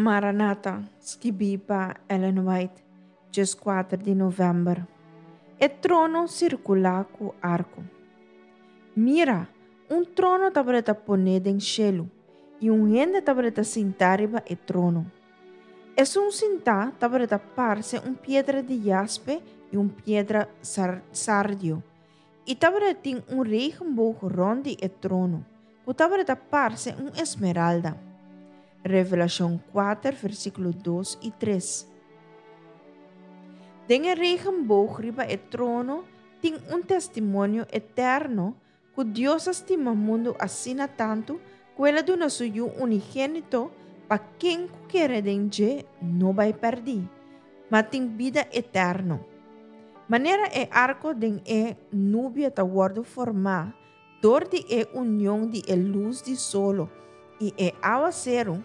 Maranata, skibí pa Ellen White, 14 di novèmber. E trono sirkulá ku arko. Mira, un trono tabata poné den shelu, i un hende tabata sintá riba e trono. Esun sintá tabata parse un piedra di jaspe i un piedra sardio, i tabatin un regenboog rònt di e trono, ku tabata parse un esmeralda. Revelashon 4, versíkulo 2 i 3. Den e regenboog riba e trono tin un testimonio eterno ku Dios a stima mundu asina tantu ku el a duna su Yu unigénito pa ken ku kere den dje no bai pèrdí, ma tin bida eterno. Manera e arko den e nubia ta wòrdu formá dor di e union di e lus di solo i e awaseru,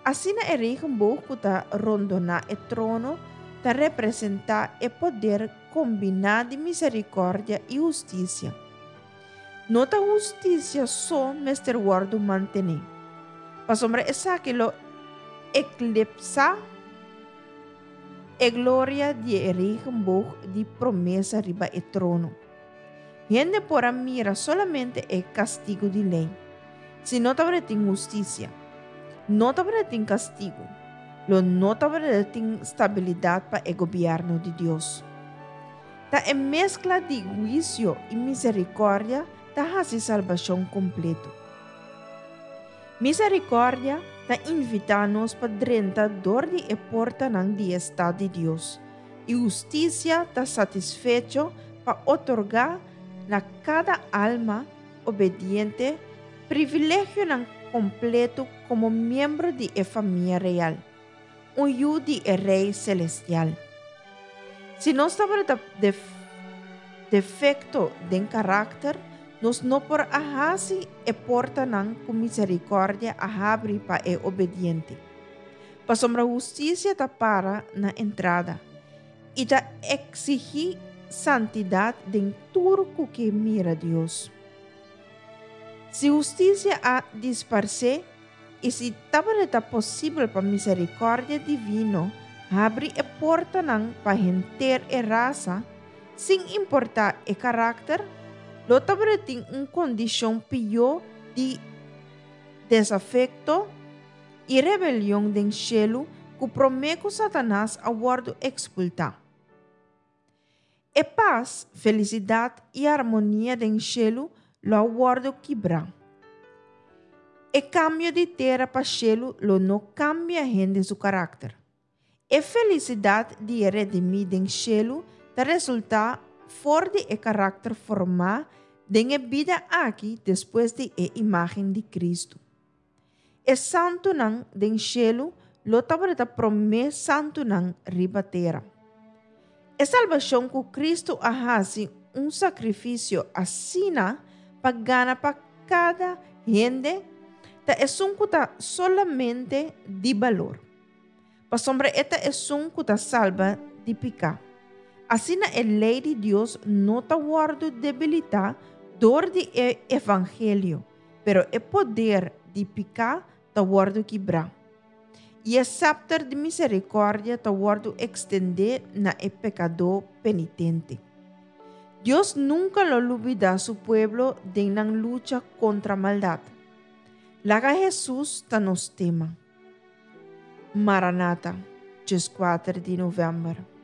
asina e regenboog ku ta rondoná e trono ta representá e poder kombiná di miserikòrdia i hustisia. No ta hustisia so mester wòrdu mantené, pasobra esaki lo eklipsá e gloria di e regenboog di promesa riba e trono. Hende por a mira solamente e kastigu di lei. Si no tabatin hustisia, no tabatin kastigu, lo no tabatin stabilidat pa e gobièrnu di Dios. Ta e meskla di huisio i miserikòrdia ta hasi salbashon kompleto. Miserikòrdia ta invitá nos pa drenta dor di e portanan di e stat di Dios, i hustisia ta satisfecho pa otorgá na kada alma obediente privilegionan kompleto komo miembro di e famia real, un yu di e Rei selestial. Si nos tabata defekto den karakter, nos no por a hasi e portanan ku miserikòrdia a habri pa e obediente. Pasobra hustisia ta para na entrada i ta eksigí santidat den tur ku ke mira Dios. Si hustisia a disparsé i si tabata posibel pa miserikòrdia divino habri e portanan pa henter e rasa, sin importá e karakter, lo tabatin un kondishon pió di desafekto i rebelion den shelu ku promé ku Satanas a wòrdu ekspultá. E pas, felisidat i armonia den shelu lo a wòrdu kibrá. E kambio di tera pa shelu lo no kambia hende su karakter. E felisidat di e redimí den shelu ta resultá for di e karakter formá den e bida aki despues di e imágen di Kristu. E santunan den shelu lo tabata promé santunan riba tera. E salbashon ku Kristu a hasi un sakrifisio asina pa gana pa kada hende ta esun ku ta solamente di balor. Pasobra e ta esun ku ta salba di piká. Asina e lei di Dios no ta wòrdu debilitá dor di e evangelio, pero e poder di piká ta wòrdu kibrá. I e sèpter di miserikòrdia ta wòrdu ekstendé na e pekadó penitente. Dios nunka lo lubidá su pueblo den nan lucha kontra maldat. Laga Hesus ta nos tema. Maranata, 14 di novèmber.